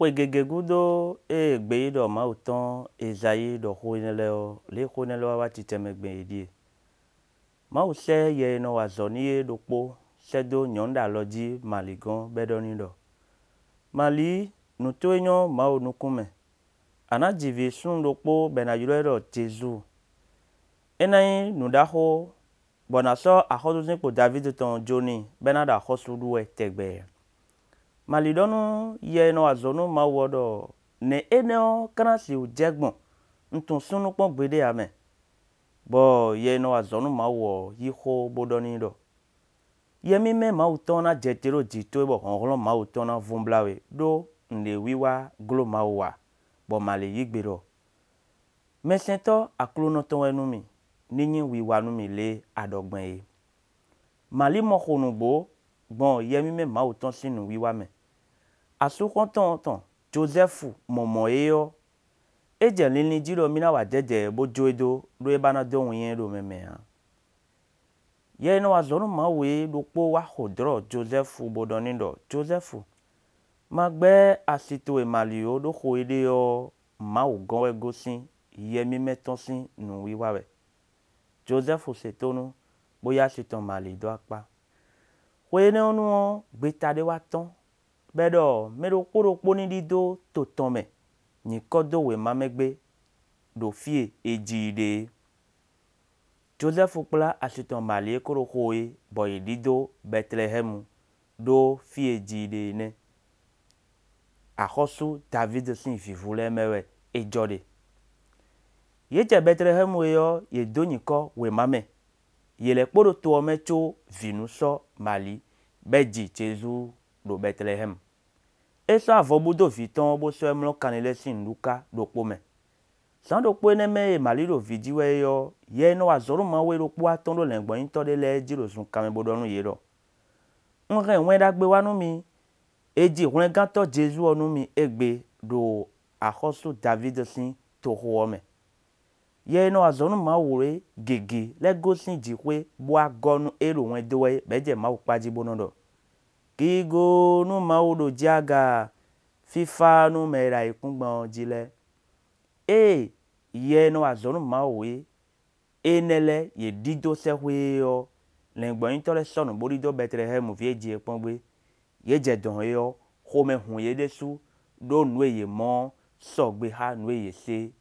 Xwe gěgé gúdo ée gbeyíɖɔ Mawu tɔn Ezayíi ɖɔ xó énɛ lɛ́ɛ ɔ́, lě xó énɛ lɛ́ɛ wá wá jijɛmɛ gbɔn é ɖíe. Mawu sɛ́ yɛ e nɔ wa azɔ̌ n'i é ɖokpó sɛ́dó nyɔ̌nu ɖo alɔjí Mali gɔ́n bɔ é ɖɔ n'i ɖɔ: Mali nǔ towe nyɔ́ Mawu nukúnmɛ, a nǎ ji vǐ súnnu ɖokpó bɔ è nǎ ylɔ́ ɛ ɖɔ Jezu. É ná nyí nǔ ɖaxó bɔ nǎ sɔ́ axɔ́súzínkpo Davídi tɔn ɔ́ jó n'i bɔ é ná ɖo axɔ́sú ɖú wɛ tɛgbɛ. Mali ɖɔ nú yɛ e nɔ wa azɔ̌ nú Mawu ɔ́ ɖɔ nɛ̌ énɛ ɔ́ ká ná sixú jɛ gbɔn? Un tunwun súnnu kpɔ́n gbeɖé ǎ mɛ. Bɔ yɛ e nɔ wa azɔ̌ nú Mawu ɔ́ yí xó bó ɖɔ n'i ɖɔ yɛ mímɛ́ Mawu tɔn ɔ́ ná jɛte ɖó jǐ towe bɔ hlɔ̌nhlɔ́n Mawu tɔn ná vún blá we ɖó nǔɖé wiwa gló Mawu ǎ. Bɔ Mali yí gbe ɖɔ mɛsɛntɔ́ Aklúnɔ tɔn wɛ nú mì, ní nyí wiwa nú mì lě a ɖɔ gbɔn é. Mali mɔ xo nǔgbó gbɔn yɛ mímɛ́ Mawu tɔn sín nǔwiwa mɛ. Asúxɔ́ntɔn tɔn Jozɛ́fu mɔ mɔ̌ é ɔ́, é jɛ linlin jí ɖɔ émí ná wa dɛ̌dɛ̌ bó jó é dó ɖó é ba ná dó winnyá ɛ ɖo mɛ mɛ ǎ. Yɛ e nɔ wa azɔ̌ nú Mawu é ɖokpó wá xo dlɔ̌ Jozɛ́fu bo ɖɔ n'i ɖɔ Jozɛ́fu ma gbɛ́ asi towe Mali ó ɖó xo e é ɖe ɔ́ Mawu gɔ́n wɛ é gosín, yɛ mímɛ́ tɔn sín nǔwiwa wɛ. Jozɛ́fu se tónú bó yí asi tɔn Mali dó akpá. Xwe énɛ ɔ́ nu ɔ́ gbeta ɖé wá tɔ́n bɔ è ɖɔ mɛ ɖokpó ɖokpó ní ɖidó to tɔn mɛ nyǐkɔ dó wěma mɛ gbé ɖo fí e è ji i ɖe é. Jozɛ́fu kplá asi tɔn Mali é kó ɖo xo é bɔ yě ɖidó Bɛtelehɛ́mu ɖó fí e è ji i ɖe é nɛ́. Axɔ́sú Davídi sín vǐvú lɛ́ɛ mɛ wɛ é jɔ ɖe. Yě jɛ Bɛtelehɛ́mu é ɔ́ yě dó nyǐkɔ wěma mɛ, yě lɛ́ kpo ɖo to ɔ́ mɛ có vǐ nú sɔ́ Mali bɔ é ji Jezu ɖo Bɛtelehɛ́mu. É sɔ́ avɔ bú dó vǐ tɔn ɔ́ bó sɔ́ ɛ mlɔ́ kanlin lɛ́ɛ sín nǔɖúká ɖokpó mɛ. Zǎn ɖokpó énɛ mɛ e Mali ɖo vǐ ji wɛ é ɔ́, yɛ e nɔ wa azɔ̌ nú Mawu é ɖokpó wá tɔ́n ɖó lɛ̌ngbɔ́nyítɔ́ ɖé lɛ́ɛ jí ɖo zunkanmɛ bo ɖɔ nú yě ɖɔ: un hɛn wɛn ɖagbe wá nú mi, è ji hwlɛngántɔ́ Jezu ɔ́ nú mi égbe ɖo axɔ́sú Davídi sín toxo ɔ́ mɛ. Yɛ e nɔ wa azɔ̌ nú Mawu é gěgé lɛ́ gosín jǐxwé bó wá gɔ́ nú ée ɖo wɛn dó wɛ é bɔ yě jɛ Mawu kpá jí bó nɔ́ ɖɔ: gigo nú Mawu ɖo jǐ aga, fífá nú mɛ e ɖo ayǐkúngban ɔ́ jí lɛ́ɛ. Ée yɛ e nɔ wa azɔ̌ nú Mawu é énɛ lɛ́ɛ yě ɖidó sɛ́xwé é ɔ́, lɛ̌ngbɔ́nyítɔ́ lɛ́ɛ sɔ́nǔ bó ɖidó Bɛtelehɛ́mu fí e è ji e kpɔ́n gbé. Yě jɛ dɔ̌n é ɔ́ xomɛ hun yě ɖésú ɖó nǔ e yě mɔ ɔ́ sɔgbe xá nǔ e yě se